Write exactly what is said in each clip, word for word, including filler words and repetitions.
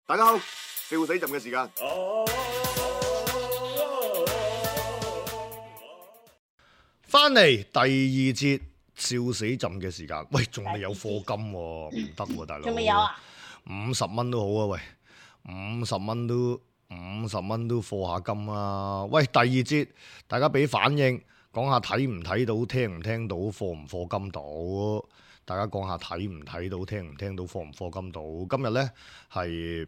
大家好，笑死朕嘅時間。翻嚟第二節笑死朕嘅時間。喂，仲未有課金喎，唔得喎，大佬。仲未有啊？五十蚊都好啊，喂，五十蚊都五十蚊都課下金啊。喂，第二節大家俾反應，講下睇唔睇到，聽唔聽到，課唔課金到。大家講下睇唔睇到，聽唔聽到，課唔課金到。今日呢係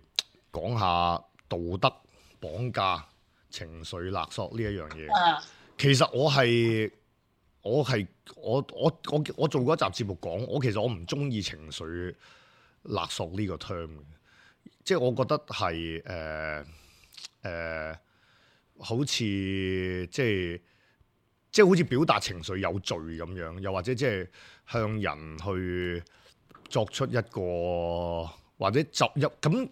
講下道德綁架、情緒勒索呢一樣嘢。啊、其實我係我係我我我我做過一集節目講，我其實我唔中意情緒勒索呢個 term 嘅，即係我覺得係誒誒，好似即係即係好似表達情緒有罪咁樣，又或者即係向人去作出一個或者集入咁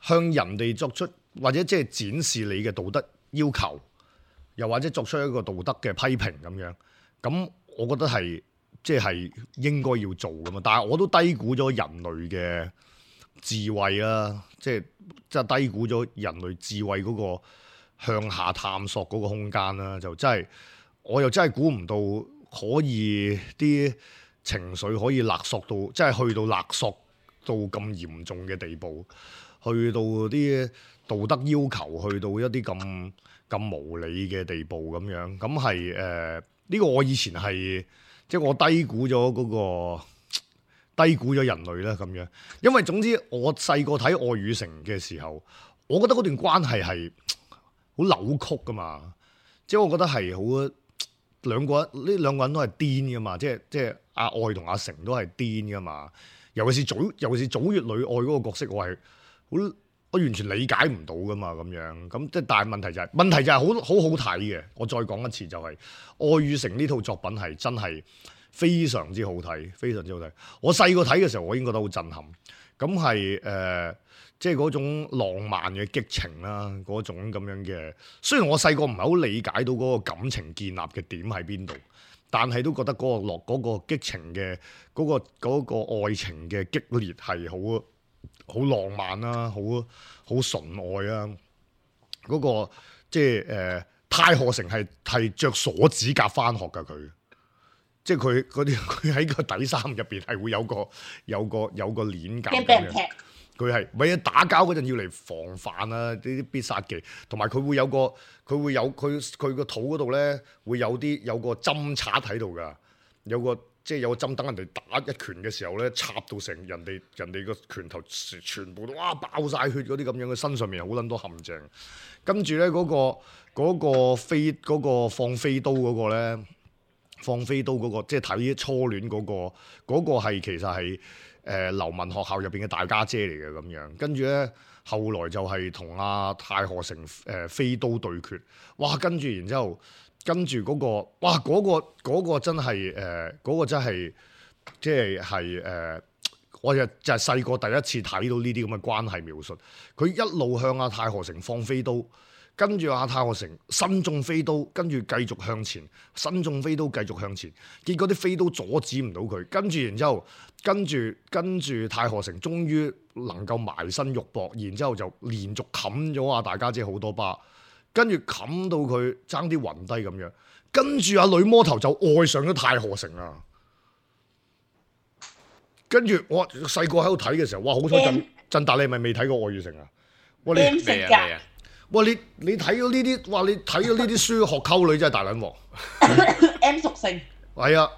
向人哋作出或者即係展示你嘅道德要求，又或者作出一個道德嘅批評咁樣。咁我覺得係即係應該要做噶嘛，但係我都低估咗人類嘅智慧啦，即係即係低估咗人類智慧嗰個向下探索嗰個空間啦，就真係我又真係估唔到可以啲情緒可以勒索到，即係去到勒索到咁嚴重嘅地步，去到啲道德要求去到一啲咁咁無理嘅地步咁樣，咁係誒呢個我以前係即係我低估咗嗰個低估咗人類啦咁樣，因為總之我細個睇《愛與誠》嘅時候，我覺得嗰段關係係好扭曲噶嘛，即係我覺得係好兩個人呢兩個人都係癲噶嘛，即係即係阿愛同阿誠都係癲噶嘛，尤其是祖尤其是祖月女愛嗰個角色，我係好。我完全理解唔到噶嘛，咁樣咁即係，但係問題就係、是、問題就係好好好睇嘅。我再講一次就係、是《愛與誠》呢套作品係真係非常之好睇，非常之好睇。我細個睇嘅時候，我已經覺得好震撼。咁係誒，即係嗰種浪漫嘅激情啦，嗰種咁樣嘅。雖然我細個唔係好理解到嗰個感情建立嘅點喺邊度，但係都覺得嗰個落嗰個激情嘅嗰、嗰個嗰個愛情嘅激烈係好。好浪漫啦、啊，好好純愛啊！嗰、那個即係誒，太賀誠係係著鎖指甲返學㗎佢，即係佢嗰啲佢喺個底衫入邊係會有個有個有個鏈夾咁樣。佢係咪啊？打交嗰陣要嚟防範啊！呢啲必殺技，同埋佢會有個佢會有佢佢個肚嗰度咧會有啲有個針插喺度㗎，有個。即係有個針，等人哋打一拳嘅時候咧，插到成人哋人哋個拳頭全部都哇爆晒血嗰啲咁樣，嘅身上面好撚多陷阱。跟住咧嗰個嗰、嗰個飛嗰、嗰個放飛刀嗰個咧，放飛刀嗰、嗰個即係睇初戀嗰、嗰個嗰、嗰個係其實係誒、呃、流氓學校入邊嘅大家姐嚟嘅咁樣。跟住咧後來就係同阿太賀誠誒飛刀對決，哇！跟住然之後。跟住嗰、那個，哇！嗰、那個那個真係誒，嗰、呃那個真係即係係誒，我就就係細個第一次睇到呢啲咁嘅關係描述。佢一路向阿太賀誠放飛刀，跟住阿太賀誠身中飛刀，跟住繼續向前，身中飛刀繼續向前。結果啲飛刀阻止唔到佢，跟住然之後，跟住跟住太賀誠終於能夠埋身肉搏，然之後就連續冚咗阿大家姐好多巴。跟住冚到佢爭啲暈低咁樣，跟住阿女魔頭就愛上咗太賀誠啦。跟住我細個喺度睇嘅時候，哇！好彩震震達，你係咪未睇過《愛與誠》啊？哇！你咩啊？哇！你你睇咗呢啲，哇！你睇咗呢啲書學溝女真係大撚鑊。M 屬性係啊！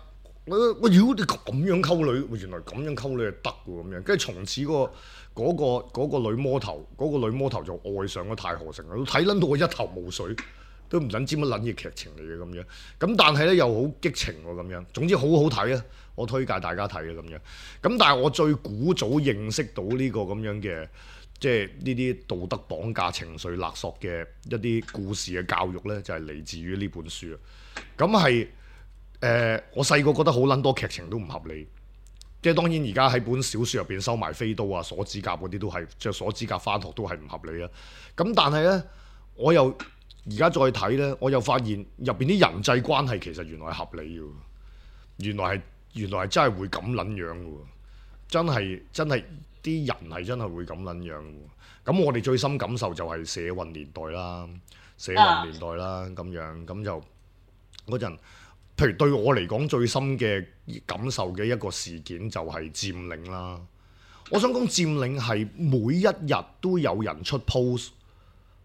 我我妖你咁樣溝女，原來咁樣溝女係得喎咁樣。跟住從此嗰個。嗰、那個那個女魔頭，嗰、那個女魔頭就愛上咗太賀誠啦，睇撚到我一頭霧水，都唔撚知乜撚嘢劇情嚟嘅咁樣。咁但係咧又好激情喎咁樣。總之好好睇啊！我推介大家睇啊咁樣。咁但係我最古早認識到呢個咁樣嘅，即係呢啲道德綁架、情緒勒索嘅一啲故事嘅教育咧，就係、是、嚟自於呢本書啊。咁係誒，我細個覺得好撚多劇情都唔合理。即係當然，而家喺本小説入邊收埋飛刀啊、鎖指甲嗰啲都係著鎖指甲返學都係唔合理啊。咁但係咧，我又而家再睇咧，我又發現入邊啲人際關係其實原來係合理嘅，原來係原來係真係會咁撚樣嘅喎，真係真係啲人係真係會咁撚樣。咁我哋最深感受就係社運年代啦，社運年代啦咁樣，咁就嗰陣，譬如對我嚟講最深嘅感受嘅一個事件就係佔領啦。我想講佔領係每一日都有人出 post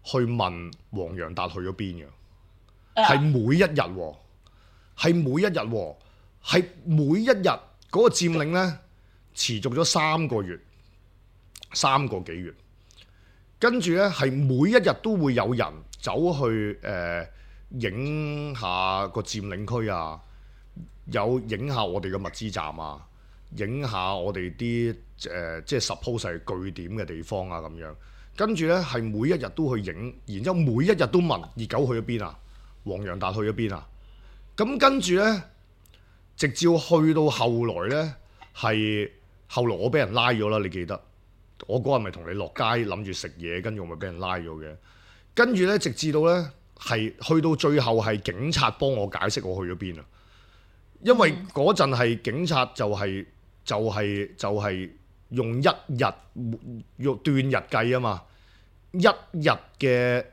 去問黃洋達去咗邊嘅，係每一日喎，係每一日喎，係每一日嗰個佔領呢，持續咗三個月，三個幾月。跟住呢，係每一日都會有人走去誒影、呃、下個佔領區啊，有影下我哋嘅物資站啊，影下我哋啲誒即係 suppose 係據點嘅地方啊咁樣。跟住呢，係每一日都去影，然之後每一日都問熱狗去咗邊啊，黃洋達去咗邊啊。咁跟住呢，直至去到後來呢，係後來我俾人拉咗啦，你記得？我嗰日咪同你落街諗住食嘢，跟住我咪俾人拉咗嘅。跟住呢，直至到呢，係去到最後係警察幫我解釋我去咗邊啊。因為嗰陣係警察就係就係就係用一日用斷日計啊嘛，一日嘅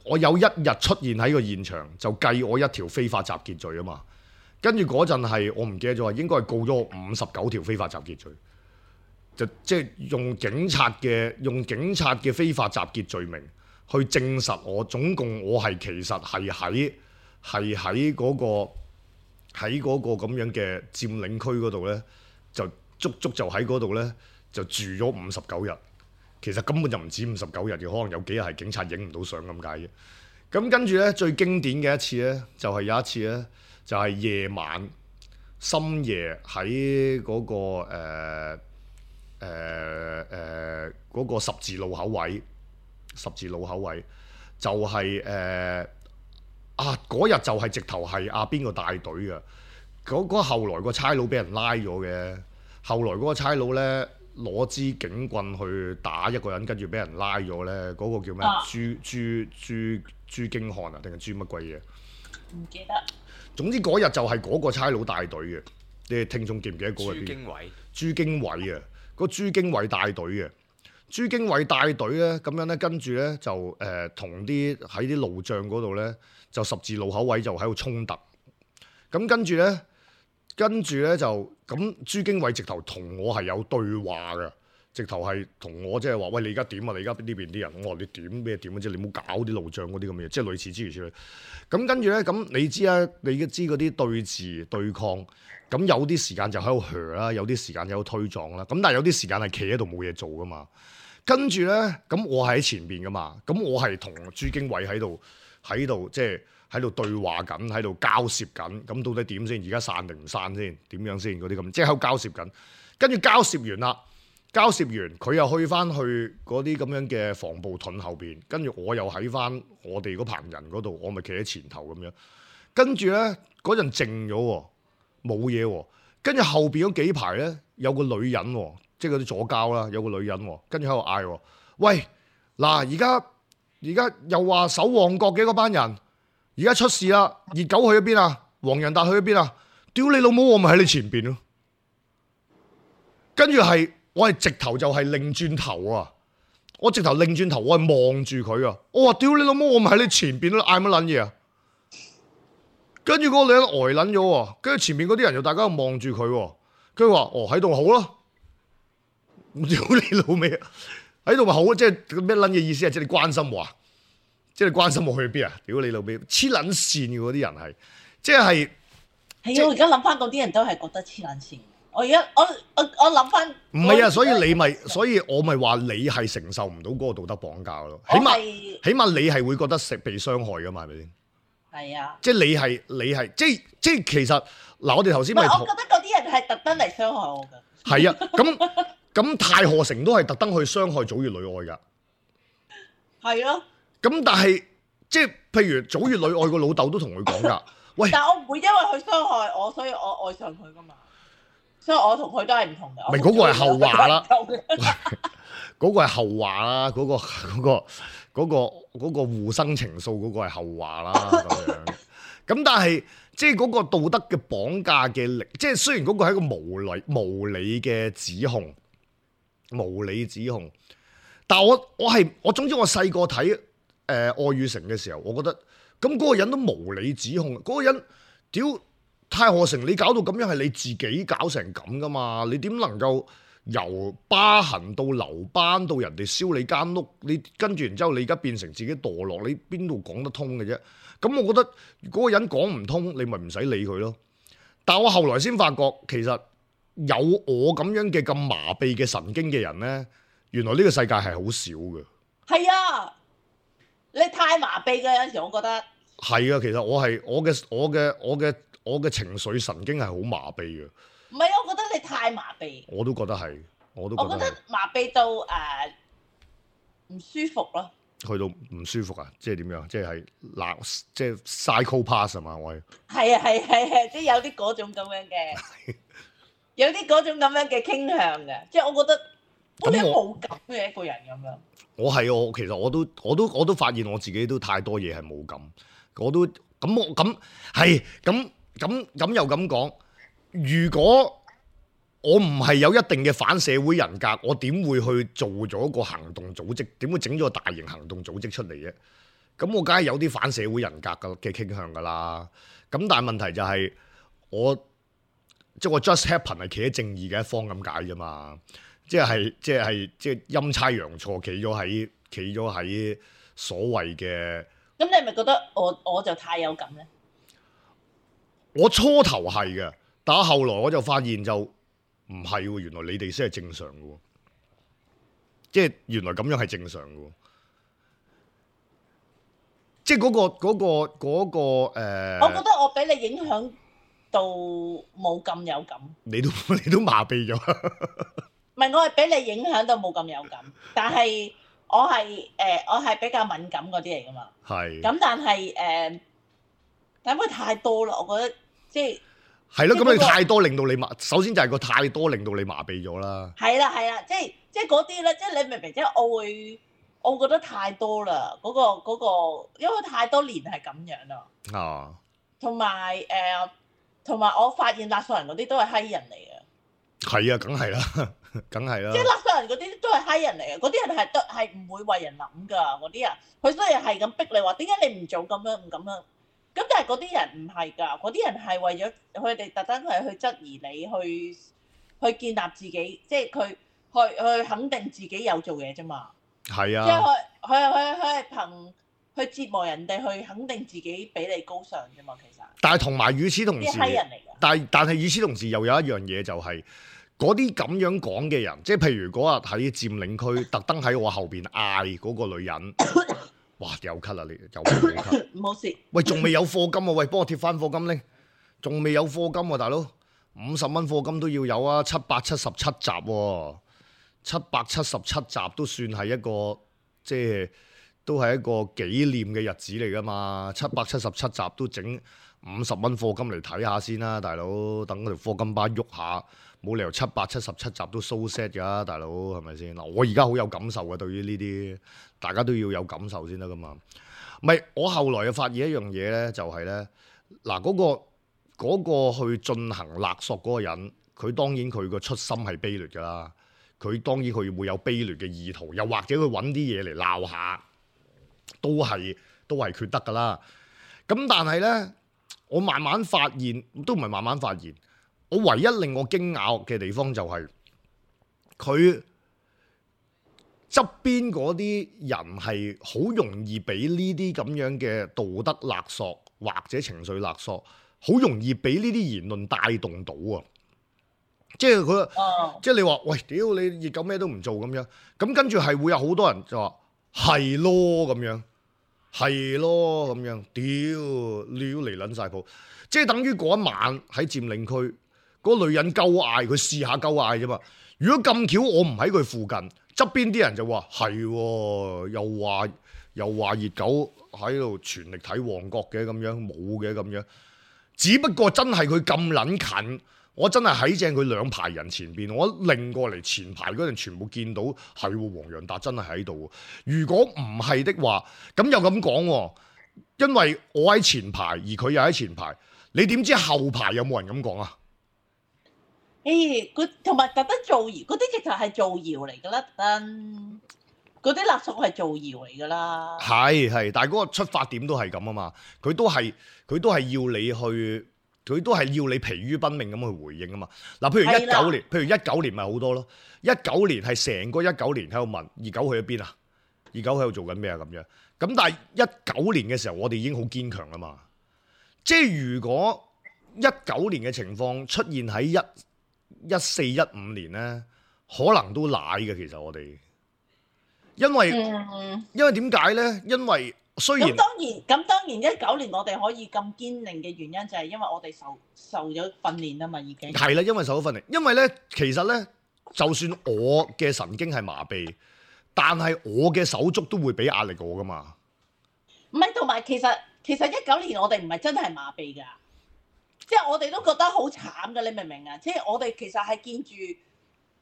我有一日出現喺個現場就計我一條非法集結罪啊嘛。跟住嗰陣係我唔記得咗，應該係告咗我五十九條非法集結罪。就即係用警察嘅用警察嘅非法集結罪名去證實我總共我係其實係喺係喺嗰個喺嗰個咁樣嘅佔領區嗰度呢，就足足就喺嗰度呢，就住咗五十九日。其實根本就唔止五十九日嘅，可能有幾日係警察影唔到相咁解嘅。咁跟住呢，最經典嘅一次呢，就係、是、有一次呢，就係、是、夜晚深夜喺嗰、那個誒。呃誒誒嗰個十字路口位，十字路口位就係、是、誒、呃、啊嗰日就係直頭係啊邊個帶隊嘅嗰嗰後來個差佬俾人拉咗嘅，後來嗰個差佬咧攞支警棍去打一個人，跟住俾人拉咗咧，嗰、那個叫咩？啊、朱朱朱朱經漢啊，定係朱乜鬼嘢？唔記得。總之嗰日就係嗰個差佬帶隊嘅，你哋聽眾記唔記得嗰個邊？朱經緯。朱經緯啊！個朱經緯帶隊嘅，朱經緯帶隊咧，咁樣咧，跟住咧就誒同啲喺啲路障嗰度咧，就十字路口位就喺度衝突。咁跟住咧，跟住咧就咁，朱經緯直頭同我係有對話嘅，直頭係同我即係話：喂，你而家點啊？你而家呢邊啲人，我話你點咩點啊？即係你唔好搞啲路障嗰啲咁嘅嘢，即係類似諸如此類。咁跟住咧，咁你知啊？你知嗰啲對峙對抗。咁有啲時間就喺度噓啦，有啲時間喺度推撞啦。咁但係有啲時間係企喺度冇嘢做噶嘛。跟住咧，咁我係喺前邊噶嘛。咁我係同朱經緯喺度喺度即係喺度對話緊，喺度交涉緊。咁到底點先？而家散定唔散先？點樣先？嗰啲咁即係喺度交涉緊。跟住交涉完啦，交涉完佢又去翻去嗰啲咁樣嘅防暴盾後邊。跟住我又喺翻我哋嗰棚人嗰度，我咪企喺前頭咁樣。跟住咧嗰陣靜咗喎。冇嘢喎，跟住後邊嗰幾排咧有個女人喎，即係嗰啲左膠啦，有個女人喎，跟住喺度嗌喎，喂，嗱而家而家又話守旺角嘅嗰班人，而家出事啦，熱狗去咗邊啊？黃洋達去咗邊啊？屌你老母，我咪喺你前邊咯，跟住係我係直頭就係擰轉頭啊，我直頭擰轉頭，我係望住佢啊，我話屌你老母，我咪喺你前邊咯，嗌乜撚嘢啊？跟住嗰個女人呆撚咗喎，跟住前面嗰啲人又大家望住佢喎，跟住話：哦喺度好咯，屌你老味啊！喺度咪好，即係咩撚嘢意思啊？即係你關心我啊？即係你關心我去邊啊？屌你老味，黐撚線嘅嗰啲人係，即係係啊！我而家諗翻嗰啲人都係覺得黐撚線。我而家我我我諗翻唔係啊，所以你咪，所以我咪話你係承受唔到嗰個道德綁架咯。起碼起碼你係會覺得食被傷害噶嘛？係咪先？係啊，即係你係你係即係即係其實嗱，我哋頭先咪我覺得嗰啲人係特登嚟傷害我㗎。係啊，咁咁太賀城都係特登去傷害祖乙女愛㗎。係咯。咁但係即係譬如祖乙女愛個老豆都同佢講㗎，喂！但係我唔會因為佢傷害我，所以我愛上佢㗎嘛。所以我同佢都係唔同嘅。唔係嗰個係後話啦。嗰個係後話啦，嗰個嗰個。嗰、嗰個嗰、嗰個互生情愫嗰個係後話啦咁樣，咁但係即係嗰個道德嘅綁架嘅力，即係雖然嗰個係一個無理無理嘅指控，無理指控。但係我我係我總之我細個睇誒愛與誠嘅時候，我覺得咁嗰個人都無理指控，嗰、嗰個人屌太賀城，你搞到咁樣係你自己搞成咁噶嘛？你點能夠由疤痕到留班到人哋燒你間屋，你跟住然之後你而家變成自己墮落，你邊度講得通嘅啫？咁我覺得嗰個人講唔通，你咪唔使理佢咯。但我後來先發覺，其實有我咁樣嘅咁麻痹嘅神經嘅人呢，原來呢個世界係好少嘅。係啊，你太麻痹嘅，有陣時我覺得係啊。其實我係我嘅我嘅我嘅我嘅情緒神經係好麻痹嘅。唔係，我覺得你太麻痹。我都覺得係，我都覺得。我覺得麻痹到誒唔、呃、舒服咯。去到唔舒服啊！即係點樣？即係嗱，即係 psychopath 啊嘛！我係係啊係係係，即係有啲嗰種咁樣嘅，有啲嗰種咁樣嘅傾向嘅。即係我覺得我哋冇感嘅一個人咁樣。我係我其實我都我都我都發現我自己都太多嘢係冇感。我都咁我咁係咁咁咁又咁講。如果我唔係有一定嘅反社會人格，我點會去做咗個行動組織？點會整咗個大型行動組織出嚟嘅？咁我梗係有啲反社會人格嘅傾向㗎啦。咁但係問題就係我即係我 just happen 係企喺正義嘅一方咁解啫嘛。即係即係即係陰差陽錯企咗喺企咗喺所謂嘅。咁你係咪覺得我我就太有感咧？我初頭係嘅，但係後來我就發現就。唔係喎，原來你哋先係正常嘅喎，即係原來咁樣係正常嘅喎，即係嗰個嗰個嗰個誒。我覺得我俾你影響到冇咁有感。你都你都麻痹咗。唔係，我係俾你影響到冇咁有感，但係我係誒我係比較敏感嗰啲嚟㗎嘛。係。咁但係誒，但係太多啦，我覺得即係。係咯，咁你太多令到你麻，首先就係個太多令到你麻痹咗啦。係啦係啦，即係即係嗰啲咧，即係你明唔明？即係我會，我覺得太多啦，嗰個嗰個，因為太多年係咁樣啦。啊。同埋誒，同埋我發現勒索人嗰啲都係閪人嚟嘅。係啊，梗係啦，梗係啦。即係勒索人嗰啲都係閪人嚟嘅，嗰啲人係都係唔會為人諗㗎，嗰啲人佢所以係咁逼你話，點解你唔做咁樣唔咁樣？咁但係嗰啲人唔係㗎，嗰啲人係為咗佢哋特登係去質疑你，去去建立自己，即係佢去去肯定自己有做嘢啫嘛。係啊，即係佢佢佢佢係憑去折磨人哋，去肯定自己比你高尚啫嘛。其實。但係同埋與此同時，啲閪人嚟㗎。但係但係與此同時又有一樣嘢就係嗰啲咁樣講嘅人，即係譬如嗰日喺佔領區特登喺我後邊嗌嗰個女人。哇！又咳啦，你又冇咳，冇事。喂，仲未有課金啊？喂，幫我貼翻課金咧，仲未有課金啊，大佬，五十蚊課金都要有啊，七百七十七集喎，七百七十七集都算係一個，即係都係一個紀念嘅日子嚟噶嘛，七百七十七集都整五十蚊課金嚟睇下先啦，大佬，等嗰條課金巴喐下。冇理由七百七十七集都 so sad 㗎，大佬係咪先？嗱，我而家好有感受嘅，對於呢啲，大家都要有感受先得噶嘛。唔係，我後來又發現一樣嘢咧，就係咧，嗱嗰個嗰個去進行勒索嗰個人，佢當然佢個出心係卑劣㗎啦，佢當然佢會有卑劣嘅意圖，又或者佢揾啲嘢嚟鬧下，都係都係缺德㗎啦。咁但係咧，我慢慢發現，都唔係慢慢發現。我唯一令我驚訝嘅地方就係佢側邊嗰啲人係好容易俾呢啲咁樣嘅道德勒索或者情緒勒索，好容易俾呢啲言論帶動到啊！即係佢，哦、即係你話喂，屌你熱狗咩都唔做咁樣，咁跟住係會有好多人就話係咯咁樣，係咯咁樣，屌你要嚟撚晒譜，即係等於嗰一晚喺佔領區。嗰個女人鳩嗌，佢試下鳩嗌啫嘛。如果咁巧我唔喺佢附近，側邊啲人就話係，又話又話熱狗喺度全力睇旺角嘅咁樣，冇嘅咁樣。只不過真係佢咁撚近，我真係喺正佢兩排人前邊，我擰過嚟前排嗰陣全部見到係黃洋達真係喺度。如果唔係的話，咁又咁講，因為我喺前排，而佢又喺前排，你點知後排有冇人咁講啊？誒，佢同埋特登造謠，嗰啲直頭係造謠嚟㗎啦，特登嗰啲勒索係造謠嚟㗎啦。係係，但係嗰個出發點都係咁啊嘛，佢都係佢都係要你去，佢都係要你疲於奔命咁去回應啊嘛。嗱，譬如一九年，譬如一九年咪好多咯，一九年係成個一九年喺度問二九去咗邊啊？二九喺度做緊咩啊？咁樣，咁但係一九年嘅時候，我哋已經好堅強啦嘛。即係如果一九年嘅情況出現喺一一四一五年咧，可能都賴嘅。其實我哋，因為、嗯、因為點解咧？因為雖然咁當然咁當然一九年我哋可以咁堅定嘅原因就係因為我哋受受咗訓練啊嘛，已經係啦，因為受咗訓練。因為咧，其實咧，就算我嘅神經係麻痹，但係我嘅手足都會俾壓力我噶嘛。唔係，同埋其實其實一九年我哋唔係真係麻痹㗎。即係我哋都覺得好慘㗎，你明唔明啊？即係我哋其實係見住，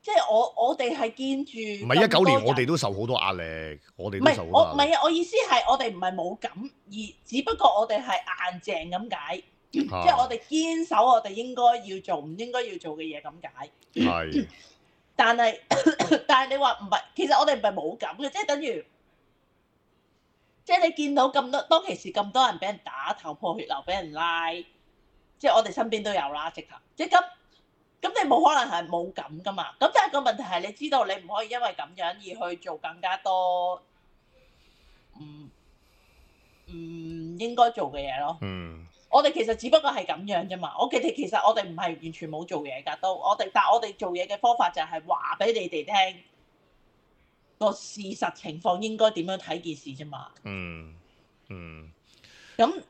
即係我我哋係見住。唔係一九年，我哋都受好多壓力，我哋都受好多壓力。唔係我唔係啊！我意思係我哋唔係冇感，而只不過我哋係硬淨咁解，即係我哋堅守我哋應該要做唔應該要做嘅嘢咁解。係。但係但係你話唔係，其實我哋唔係冇感嘅，即係等於，即係你見到咁多當其時咁多人俾人打頭破血流，俾人拉。即係我哋身邊都有啦，直頭，即係咁，咁你冇可能係冇咁噶嘛？咁但係個問題係，你知道你唔可以因為咁樣而去做更加多唔唔應該做嘅嘢咯。嗯，我哋其實只不過係咁樣啫嘛。我其實其實我哋唔係完全冇做嘢㗎，都我哋，但係我哋做嘢嘅方法就係話俾你哋聽個事實情況應該點樣睇件事啫嘛。嗯嗯，咁。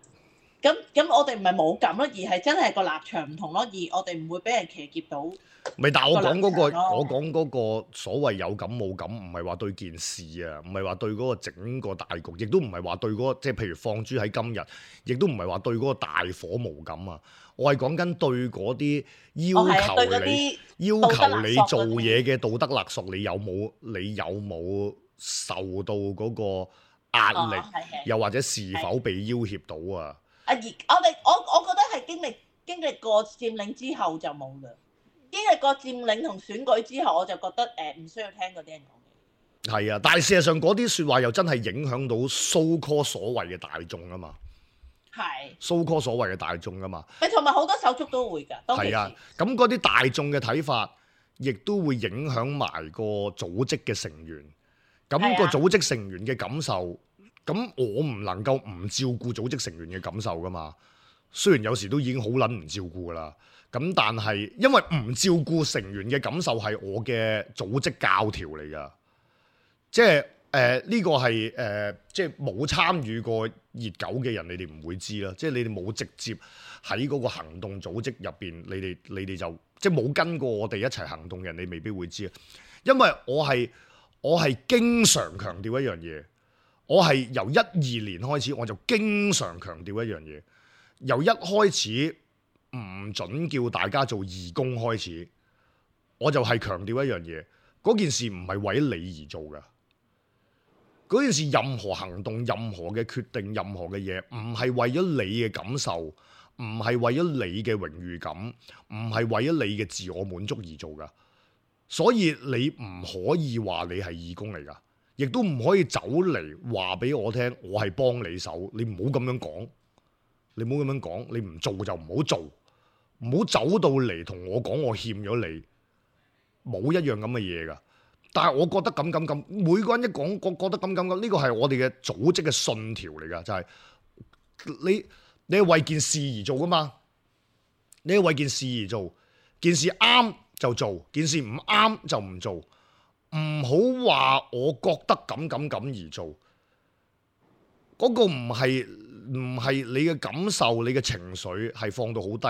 咁咁，我哋唔係冇感咯，而係真係個立場唔同咯，而我哋唔會俾人騎劫到。咪但係我講嗰個，我講嗰個所謂有感冇感，唔係話對件事啊，唔係話對嗰個整個大局，亦都唔係話對嗰個即係譬如放諸喺今日，亦都唔係話對嗰個大火無感啊。我係講緊對嗰啲要求你、哦、要求你做嘢嘅道德勒索，你有冇你有冇受到嗰個壓力，哦、又或者是否被要挾到啊？啊！而我哋我我覺得係經歷經歷過佔領之後就冇㗎，經歷過佔領同選舉之後，我就覺得誒唔、呃、需要聽嗰啲人講嘅。係啊，但係事實上嗰啲説話又真係影響到 so call 所謂嘅大眾啊嘛。係。so call 所謂嘅大眾啊嘛。誒，同埋好多手足都會㗎。係啊，咁嗰啲大眾嘅睇法，亦都會影響埋個組織嘅成員。咁、那個組織成員嘅感受。咁我唔能夠唔照顧組織成員嘅感受噶嘛，雖然有時都已經好撚唔照顧噶啦，咁但係因為唔照顧成員嘅感受係我嘅組織教條嚟噶，即係誒呢個係誒、呃、即係冇參與過熱狗嘅人，你哋唔會知啦，即係你哋冇直接喺嗰個行動組織入邊，你哋你哋就即係冇跟過我哋一齊行動嘅人，你未必會知啊，因為我係我係經常強調一樣嘢。我係由一二年開始，我就經常強調一樣嘢。由一開始唔準叫大家做義工開始，我就係強調一樣嘢。嗰件事唔係為你而做嘅。嗰件事任何行動、任何嘅決定、任何嘅嘢，唔係為咗你嘅感受，唔係為咗你嘅榮譽感，唔係為咗你嘅自我滿足而做㗎。所以你唔可以話你係義工嚟㗎。亦都唔可以走嚟話俾我聽，我係幫你手，你唔好咁樣講，你唔好咁樣講，你唔做就唔好做，唔好走到嚟同我講我欠咗你，冇一樣咁嘅嘢噶。但係我覺得咁咁咁，每個人一講，我覺得咁咁咁，呢個係我哋嘅組織嘅信條嚟噶，就係你你係為件事而做噶嘛，你係為件事而做，件事啱就做，件事唔啱就唔做。唔好話我覺得咁咁咁而做，嗰個唔係唔係你嘅感受，你嘅情緒係放到好低，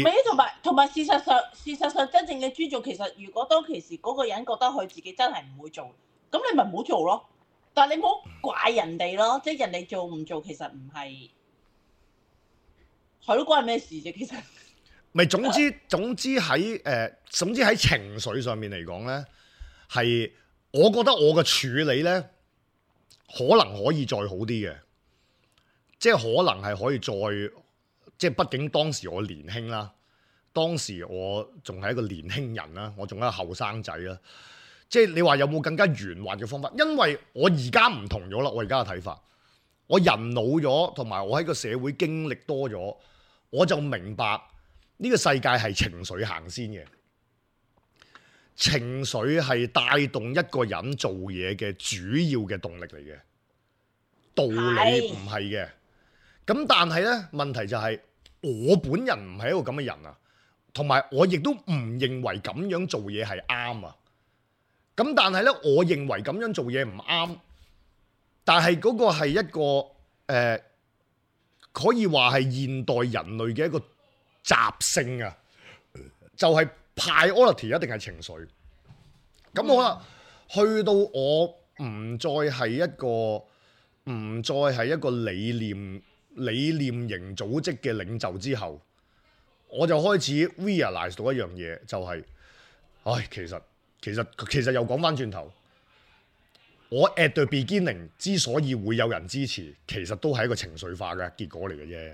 而同埋同埋事實上，事實上真正嘅尊重，其實如果當其時嗰個人覺得佢自己真係唔會做，咁你咪唔好做咯。但係你唔好怪人哋咯，即係人哋做唔做，其實唔係係咯，關係咩事啫？其實咪總之總之喺誒，總之喺情緒上面嚟講咧。係，我覺得我嘅處理呢，可能可以再好啲嘅，即係可能係可以再，即係畢竟當時我年輕啦，當時我仲係一個年輕人啦，我仲係一個後生仔啦。即係你話有冇更加圓滑嘅方法？因為我而家唔同咗啦，我而家嘅睇法，我人老咗，同埋我喺個社會經歷多咗，我就明白呢個世界係情緒行先嘅，情緒係帶動一個人做嘢嘅主要嘅動力嚟嘅，道理唔係嘅。咁但係呢，問題就係我本人唔係一個咁嘅人啊，同埋我亦都唔認為咁樣做嘢係啱啊。咁但係咧，我認為咁樣做嘢唔啱，但係嗰個係一個誒、呃，可以話係現代人類嘅一個習性啊，就係、是、priority 一定係情緒。咁好啦，去到我唔再係一個唔再係一個理念理念型組織嘅領袖之後，我就開始 realize 到一樣嘢，就係、是，唉，其實。其實其實又講翻轉頭，我 at the beginning 之所以會有人支持，其實都係一個情緒化嘅結果嚟嘅啫。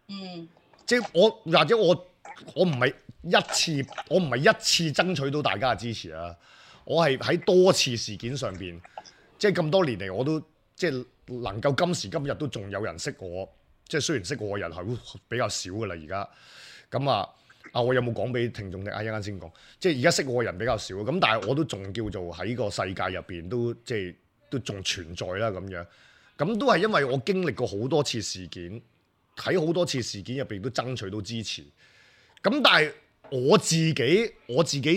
嗯，即係我或者我我唔係一次我唔係一次爭取到大家嘅支持啊！我係喺多次事件上邊，即係咁多年嚟我都即係能夠今時今日都仲有人識我，即係雖然識我嘅人係比較少㗎啦而家，咁啊。啊！我有冇講俾聽眾聽？啊，一陣間先講。即係而家識我嘅人比較少，咁但係我都仲叫做喺個世界入邊都即係都仲存在啦咁樣。咁都係因為我經歷過好多次事件，喺好多次事件入邊都爭取到支持。咁但係我自己我自己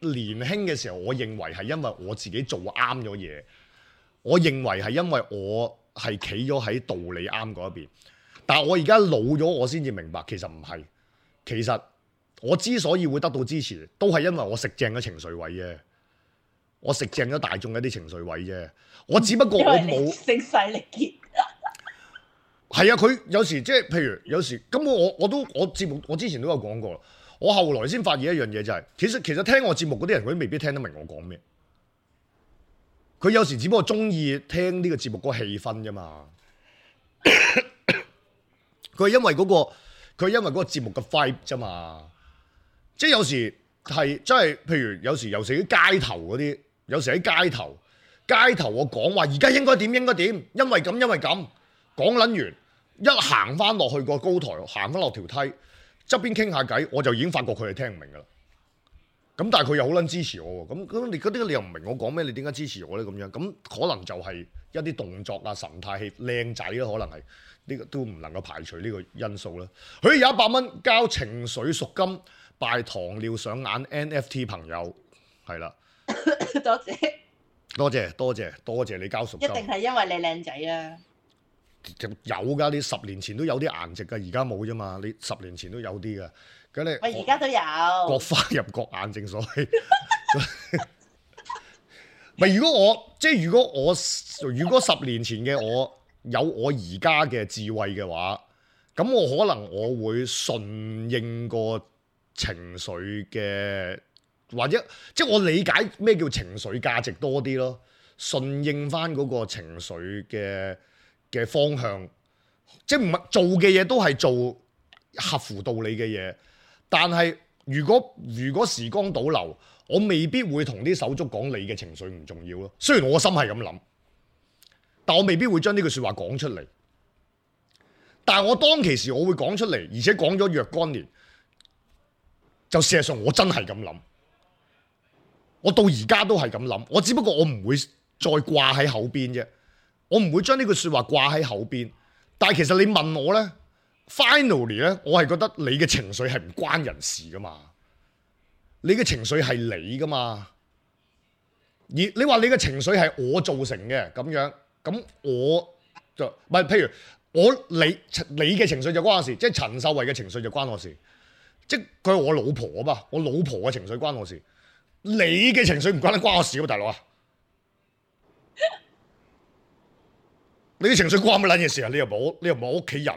年輕嘅時候，我認為係因為我自己做啱咗嘢，我認為係因為我係企咗喺道理啱嗰一邊。但係我而家老咗，我先至明白其實唔係，其實。我之所以會得到支持，都係因為我食正咗情緒位啫，我食正咗大眾一啲情緒位啫。我只不過我冇聲勢力竭。係啊，佢有時即係譬如有時咁，我我都我節目我之前都有講過，我後來先發現一樣嘢就係、是，其實其實聽我節目嗰啲人，佢都未必聽得明我講咩。佢有時只不過中意聽呢個節目嗰個氣氛啫嘛。佢係因為嗰、那個佢係因為嗰個節目嘅 vibe 啫嘛。即係有時係真係，譬如有時有時喺街頭嗰啲，有時喺街頭，街頭我講話而家應該點應該點，因為咁因為咁講撚完，一行翻落去個高台，行翻落條梯側邊傾下偈，我就已經發覺佢係聽唔明噶啦。咁但係佢又好撚支持我喎，咁咁你嗰啲你又唔明我講咩？你點解支持我咧？咁樣咁可能就係一啲動作啊、神態氣靚仔啦，可能係呢個都唔能夠排除呢個因素啦。佢有一百蚊交情緒贖金。拜糖尿上眼 N F T 朋友係啦，多謝多謝多謝多謝你交贖金，一定係因為你靚仔啊！有噶，你十年前都有啲顏值噶，而家冇啫嘛。你十年前都有啲噶，咁你我而家都有各花入各眼，正所謂。咪如果我即係如果我如果十年前嘅我有我而家嘅智慧嘅話，咁我可能我會順應個情緒嘅，或者即係我理解咩叫情緒價值多啲咯，順應翻嗰個情緒嘅嘅方向，即係唔係做嘅嘢都係做合乎道理嘅嘢，但係如果如果時光倒流，我未必會同啲手足講你嘅情緒唔重要咯。雖然我心係咁諗，但我未必會將呢句説話講出嚟。但係我當其時我會講出嚟，而且講咗若干年。就事實上我真係咁諗，我到而家都係咁諗，我只不過我唔會再掛喺口邊啫，我唔會將呢句説話掛喺口邊。但係其實你問我呢 finally 呢，我係覺得你嘅情緒係唔關人事噶嘛，你嘅情緒係你噶嘛，而你話你嘅情緒係我造成嘅咁樣，咁我就唔係，譬如我你你嘅情緒就關我事，即係陳秀慧嘅情緒就關我事。即係佢係我老婆啊嘛，我老婆嘅情緒關我事，你嘅情緒唔關得關我事啊，大佬啊！你嘅情緒關乜撚嘢事啊？你又冇，你又冇屋企人，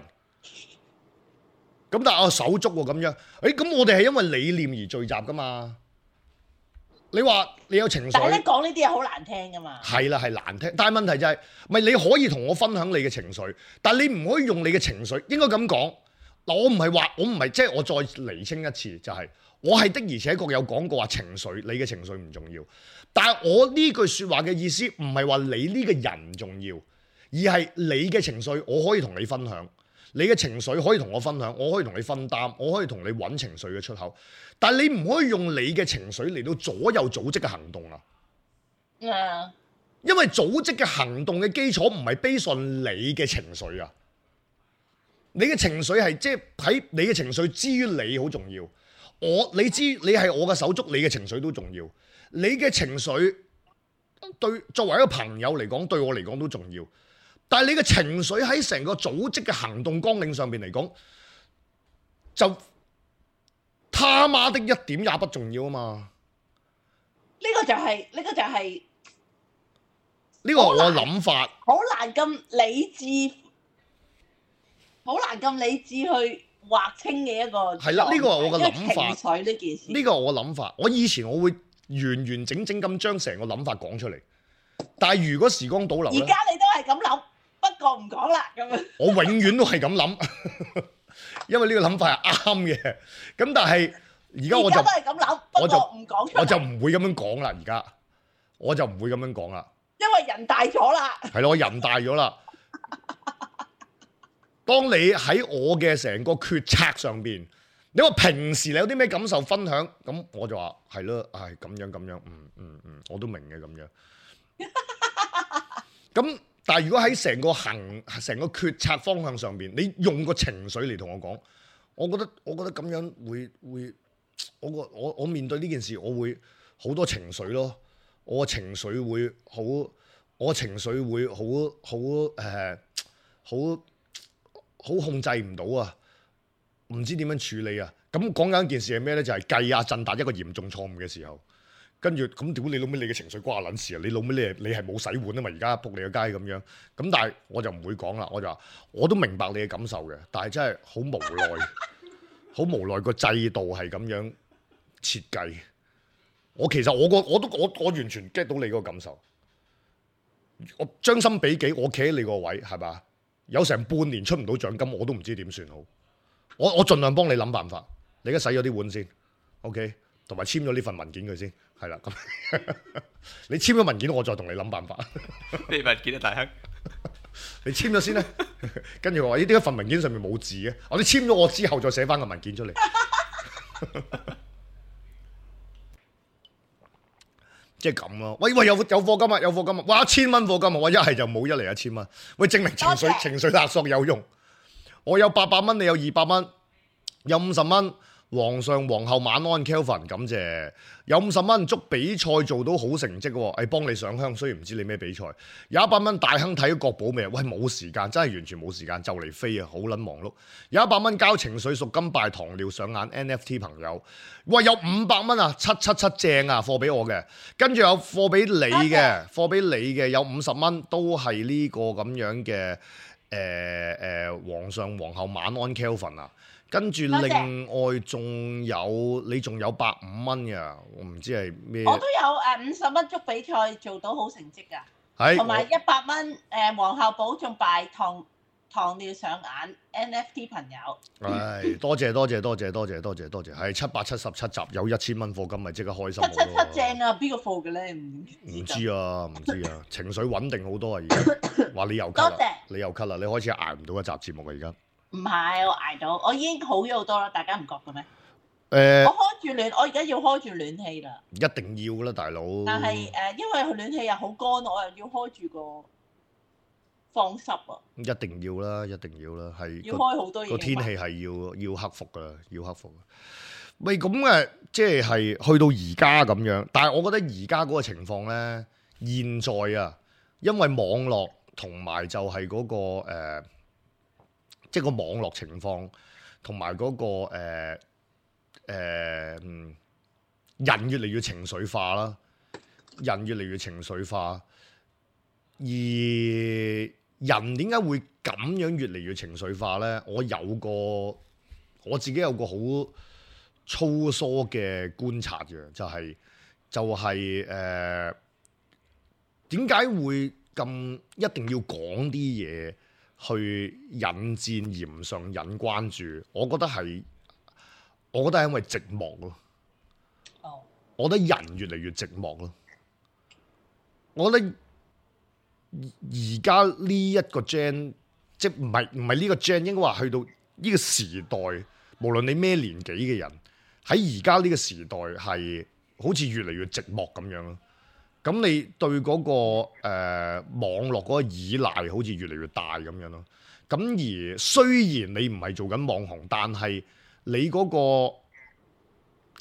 咁但係我手足喎咁樣，誒咁我哋係因為理念而聚集噶嘛？你話你有情緒，但係咧講呢啲嘢好難聽噶嘛？係啦，係難聽，但係問題就係，咪你可以同我分享你嘅情緒，但係你唔可以用你嘅情緒，應該咁講。嗱，我唔係話，我唔係即係我再釐清一次，就係、是、我係的而且確有講過話情緒，你嘅情緒唔重要。但係我呢句説話嘅意思唔係話你呢個人唔重要，而係你嘅情緒我可以同你分享，你嘅情緒可以同我分享，我可以同你分擔，我可以同你揾情緒嘅出口。但係你唔可以用你嘅情緒嚟到左右組織嘅行動啊！嗯，因為組織嘅行動嘅基礎唔係 base on 你嘅情緒啊，你嘅情緒係即係喺你嘅情緒之於你好重要。我你知你係我嘅手足，你嘅情緒都重要。你嘅情緒對作為一個朋友嚟講，對我嚟講都重要。但係你嘅情緒喺成個組織嘅行動綱領上邊嚟講，就他媽的一點也不重要啊嘛！呢個就係、是、呢、這個就係呢個係我諗法，好難咁理智，好難咁理智去劃清嘅一個係啦。呢、這個係我嘅諗法。情緒呢件事，呢個係我諗法。我以前我會完完整整咁將成個諗法講出嚟，但係如果時光倒流咧，而家你都係咁諗，不過唔講啦咁樣。我永遠都係咁諗，因為呢個諗法係啱嘅。咁但係而家我就而家都係咁諗，不過唔講出嚟。我就唔會咁樣講啦。而家我就唔會咁樣講啦，因為人大咗啦。係咯，我人大咗啦。當你喺我嘅成個決策上邊，你話平時你有啲咩感受分享，咁我就話係咯，係咁樣咁樣，嗯嗯嗯，我都明嘅咁樣。咁但係如果喺成個行成個決策方向上邊，你用個情緒嚟同我講，我覺得我覺得咁樣會會，我個我我面對呢件事，我會好多情緒咯，我個情緒會好，我情緒會好好誒好好控制唔到啊！唔知點樣處理啊！咁講緊一件事係咩咧？就係計阿振達一個嚴重錯誤嘅時候，跟住咁屌你老味，你嘅情緒關我撚事啊！你老味你係你係冇洗碗啊嘛！而家仆你個街咁樣，咁但係我就唔會講啦，我就話我都明白你嘅感受嘅，但係真係好無奈，好無奈個制度係咁樣設計。我其實我個我都我我完全 get 到你嗰個感受，我將心比己，我企喺你個位係嘛？有成半年出唔到獎金，我都唔知點算好。我我盡量幫你諗辦法。你而家洗咗啲碗先 ，OK， 同埋簽咗呢份文件佢先，係啦。咁你簽咗文件，我再同你諗辦法。咩文件啊，大亨？你簽咗先啦。跟住我話：呢啲一份文件上面冇字嘅，我哋簽咗我之後再寫翻個文件出嚟。即係咁咯。喂喂，有有課金啊，有課金啊！哇，一千蚊課金啊！我一係就冇，一嚟一千蚊。喂，證明情緒謝情緒勒索有用。我有八百蚊，你有二百蚊，有五十蚊。皇上皇后晚安 Kelvin， 感謝。有五十蚊，祝比賽做到好成績喎。誒，幫你上香，雖然唔知你咩比賽。有一百蚊，大亨睇國寶未？喂，冇時間，真係完全冇時間，就嚟飛啊，好撚忙碌。有一百蚊交情緒贖金拜糖尿上眼 N F T 朋友。喂，有五百蚊啊，七七七正啊，貨俾我嘅。跟住有貨俾你嘅，貨俾你嘅有五十蚊，都係呢個咁樣嘅誒誒皇上皇后晚安 Kelvin 啊。跟住另外仲有你仲有百五蚊嘅，我唔知係咩。我都有誒五十蚊祝比賽做到好成績㗎，係同埋一百蚊誒皇后保重拜糖糖尿上眼 N F T 朋友。係多謝多謝多謝多謝多謝多謝，係七百七十七集有一千蚊課金，咪即刻開心好七七咯。七正啊！邊個課嘅咧？唔唔知啊，唔知啊，情緒穩定好多啊！而家話你又咳啦多謝，你又咳啦，你開始捱唔到一集節目啊！而家唔係我捱到，我已經好咗好多啦。大家唔覺嘅咩？誒，我開住暖，我而家要開住暖氣啦。一定要啦，大佬。但係誒、呃，因為佢暖氣又好乾，我又要開住個放濕啊。一定要啦，一定要啦，係要開好多嘢。個天氣係要要克服噶，要克服。喂，咁誒，即係去到而家咁樣，但係我覺得而家嗰個情況咧，現在啊，因為網絡同埋就係嗰、個、呃、即係個網絡情況同埋嗰個誒、呃呃、人越嚟越情緒化啦，人越嚟越情緒化，而人點解會咁樣越嚟越情緒化呢？我有個我自己有個好粗疏嘅觀察嘅，就係、就係誒點解會咁一定要講啲嘢去引戰鹽上引關注，我覺得係，我覺得係因為寂寞咯。哦，我覺得人越嚟越寂寞咯。我覺得而家呢一個 gen， 即係唔係唔係呢個 gen， 應該話去到呢個時代，無論你咩年紀嘅人，喺而家呢個時代係好似越嚟越寂寞咁樣咯。咁你對嗰、那個誒、呃、網絡嗰個依賴好似越嚟越大咁樣咯。咁而雖然你唔係做緊網紅，但係你嗰、那個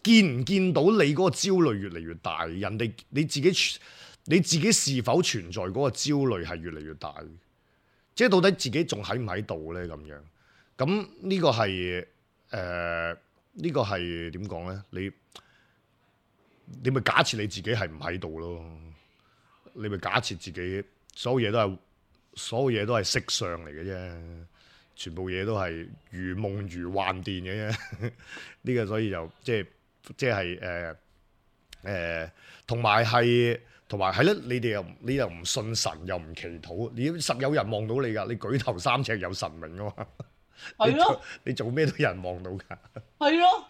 見唔見到你嗰個焦慮越嚟越大，人哋你自己你自己是否存在嗰個焦慮係越嚟越大？即係到底自己仲喺唔喺度咧？咁樣咁呢個係誒呢個係點講咧？你你咪假設你自己係唔喺度咯？你咪假設自己所有嘢都係所有嘢都係色相嚟嘅啫，全部嘢都係如夢如幻電嘅啫。呢個所以就即係即係誒誒，同埋係同埋係咧。你哋又你又唔信神，又唔祈禱，你實有人望到你㗎。你舉頭三尺有神明㗎嘛？係咯，你做咩都有人望到㗎。係咯。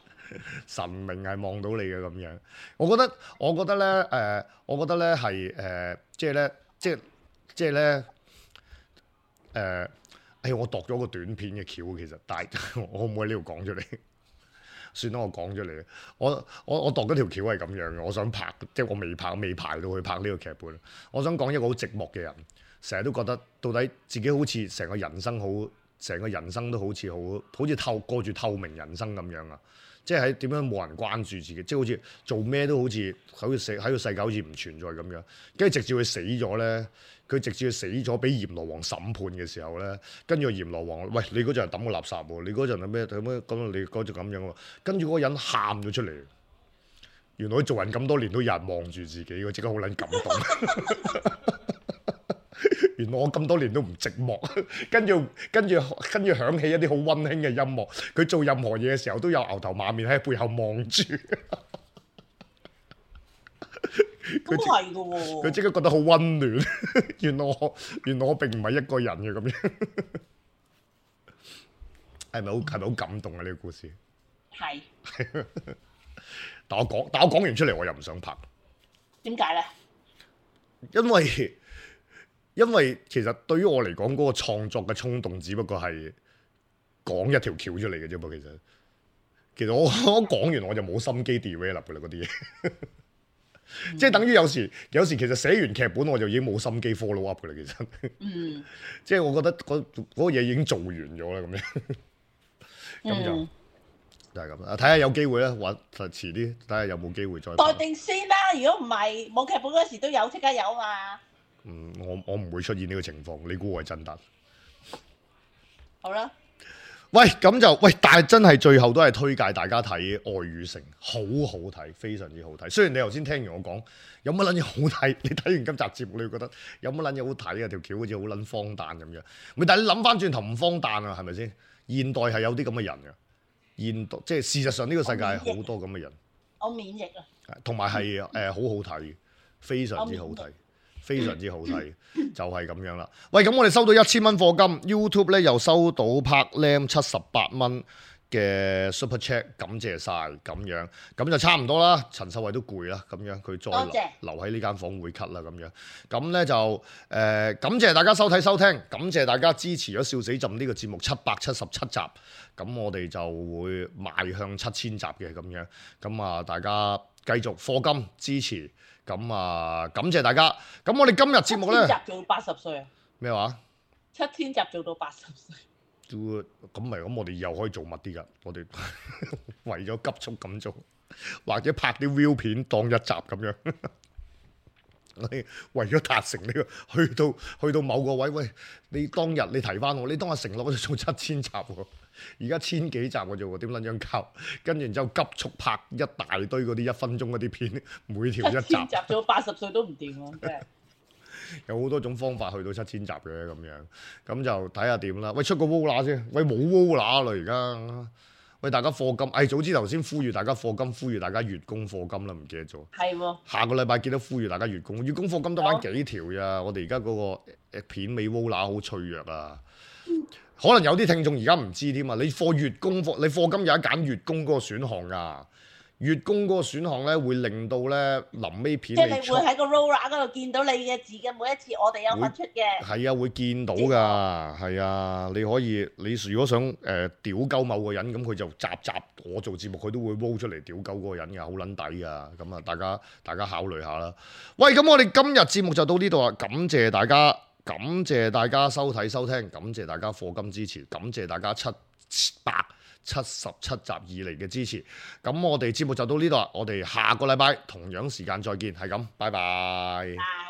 神明係望到你嘅咁樣，我覺得我覺得咧誒、呃，我覺得咧係誒，即係咧，即係即係咧誒，誒我度咗個短片嘅橋，其實，但係我可唔可以呢度講出嚟？算啦，我講出嚟。我我我度嗰條橋係咁樣嘅，我想拍，即係我未拍，未排到去拍呢個劇本。我想講一個好寂寞嘅人，成日都覺得到底自己好似成個人生好，成個人生都好似好好似透過住透明人生咁樣啊！即係喺點樣冇人關注自己，即係好似做咩都好似好似死喺個世界好似唔存在咁樣。跟住直至佢死咗咧，佢直至佢死咗，俾閻羅王審判嘅時候咧，跟住個閻羅王，喂，你嗰陣係抌個垃圾喎，你嗰陣係咩咁樣咁？你嗰陣咁樣喎，跟住嗰個人喊咗出嚟。原來佢做人咁多年都有人望住自己，我即刻好撚感動。原來我咁多年都唔寂寞，跟住跟住跟住響起一啲好溫馨嘅音樂。佢做任何嘢嘅時候都有牛頭馬面喺背後望住。咁係㗎喎。佢即刻覺得好溫暖。原來我原來我並唔係一個人嘅咁樣。係咪好係咪好感動啊？呢個故事係。但我講但我講完出嚟，我又唔想拍。點解咧？因為因為其實對於我嚟講，嗰個創作嘅衝動，只不過係講一條橋出嚟嘅啫噃。其實其實我我講完我就冇心機 develop 嘅啦，嗰啲嘢。嗯、即係等於有時有時其實寫完劇本我就已經冇心機 follow up 嘅啦。其實，嗯、即係我覺得嗰嗰個嘢已經做完咗啦，咁樣。咁就、嗯、就係咁啦。睇下有機會啦，或遲啲睇下有冇機會再待定先啦。如果唔係冇劇本嗰時都有，即刻有嘛。嗯，我我唔會出現呢個情況，你估我係真得？好啦，喂，咁就喂，但係真係最後都係推介大家睇《愛與誠》，好好睇，非常之好睇。雖然你頭先聽完我講有乜撚嘢好睇，你睇完今集節目你會覺得有乜撚嘢好睇啊？條橋好似好撚荒誕咁樣。咪但係你諗翻轉頭唔荒誕啊？係咪先？現代係有啲咁嘅人嘅，現代即係事實上呢個世界係好多咁嘅人。我免疫啊！同埋係誒好好睇，非常之好睇。非常之好睇，就係咁樣啦。喂，咁我哋收到一千蚊課金 ，YouTube 咧又收到 Park Lam 七十八蚊嘅 Super Chat， 感謝晒咁樣，咁就差唔多啦。陳秀慧都攰啦，咁樣佢再留留喺呢間房會咳啦，咁樣。咁咧就誒、呃、感謝大家收睇收聽，感謝大家支持咗笑死朕呢個節目七百七十七集，咁我哋就會邁向七千集嘅咁樣。咁啊，大家繼續課金支持。咁啊，感謝大家。咁我哋今日節目咧，七千集做到八十歲啊？咩話？七千集做到八十歲。都咁咪咁，我哋又可以做密啲㗎。我哋為咗急速咁做，或者拍啲 view 片當一集咁樣。我哋為咗達成呢個，去到去到某個位，喂，你當日你提翻我，你當日承諾我哋做七千集喎。而家千幾集嘅啫喎，點撚樣搞？跟住然之後急速拍一大堆嗰啲一分鐘嗰啲片，每條一集。七千集做八十歲都唔掂喎，真係。有好多種方法去到七千集嘅咁樣，咁就睇下點啦。喂，出個 Vola 先，喂冇 Vola 啦而家。喂，大家課金，誒早知頭先呼籲大家課金，呼籲大家月供課金啦，唔記得咗。係喎。下個禮拜記得呼籲大家月供，月供課金得翻幾條咋？我哋而家嗰個片尾 Vola 好脆弱啊。可能有啲聽眾而家唔知添啊！你課月供課，你課金有得揀月供嗰個選項㗎。月供嗰個選項咧，會令到咧臨尾片即係你會喺個 roller 嗰度見到你嘅字嘅每一次，我哋有份出嘅。係啊，會見到㗎，係啊，你可以你如果想誒、呃、屌鳩某個人，咁佢就集集我做節目，佢都會 roll 出嚟屌鳩嗰個人㗎，好撚抵㗎。咁啊，大家大家考慮下啦。喂，咁我哋今日節目就到呢度啦，感謝大家，感謝大家收睇收聽，感謝大家課金支持，感謝大家七百七十七集以嚟嘅支持，咁我哋節目就到呢度啦，我哋下個禮拜同樣時間再見，係咁，拜拜。